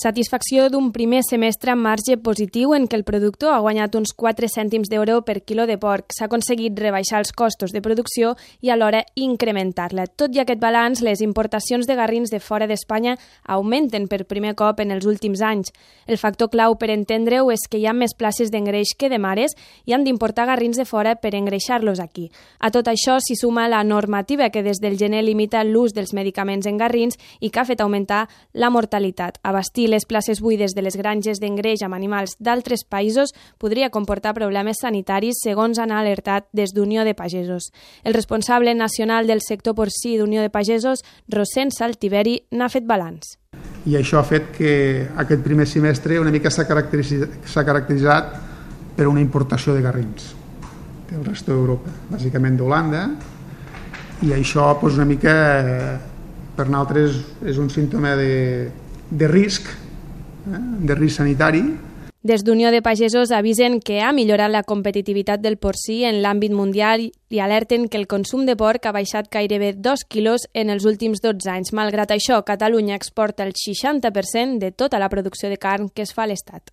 Satisfacció d'un primer semestre amb marge positiu en què el productor ha guanyat uns 4 cèntims d'euro per quilo de porc. S'ha aconseguit rebaixar els costos de producció i alhora incrementar-la. Tot i aquest balanç, les importacions de garrins de fora d'Espanya augmenten per primer cop en els últims anys. El factor clau per entendre-ho és que hi ha més places d'engreix que de mares i han d'importar garrins de fora per engreixar-los aquí. A tot això s'hi suma la normativa que des del gener limita l'ús dels medicaments en garrins i que ha fet augmentar la mortalitat. Abastir les places buides de les granges d'engreix amb animals d'altres països podria comportar problemes sanitaris, segons han alertat des d'Unió de Pagesos. El responsable nacional del sector porcí d'Unió de Pagesos, Rossend Saltiveri, n'ha fet balanç. I això ha fet que aquest primer semestre una mica s'ha caracteritzat per una importació de garrins del rest d'Europa, bàsicament d'Holanda, i això una mica per nosaltres és un símptoma de risc sanitari. Des d'Unió de Pagesos avisen que ha millorat la competitivitat del porcí en l'àmbit mundial i alerten que el consum de porc ha baixat gairebé 2 quilos en els últims 12 anys. Malgrat això, Catalunya exporta el 60% de tota la producció de carn que es fa a l'Estat.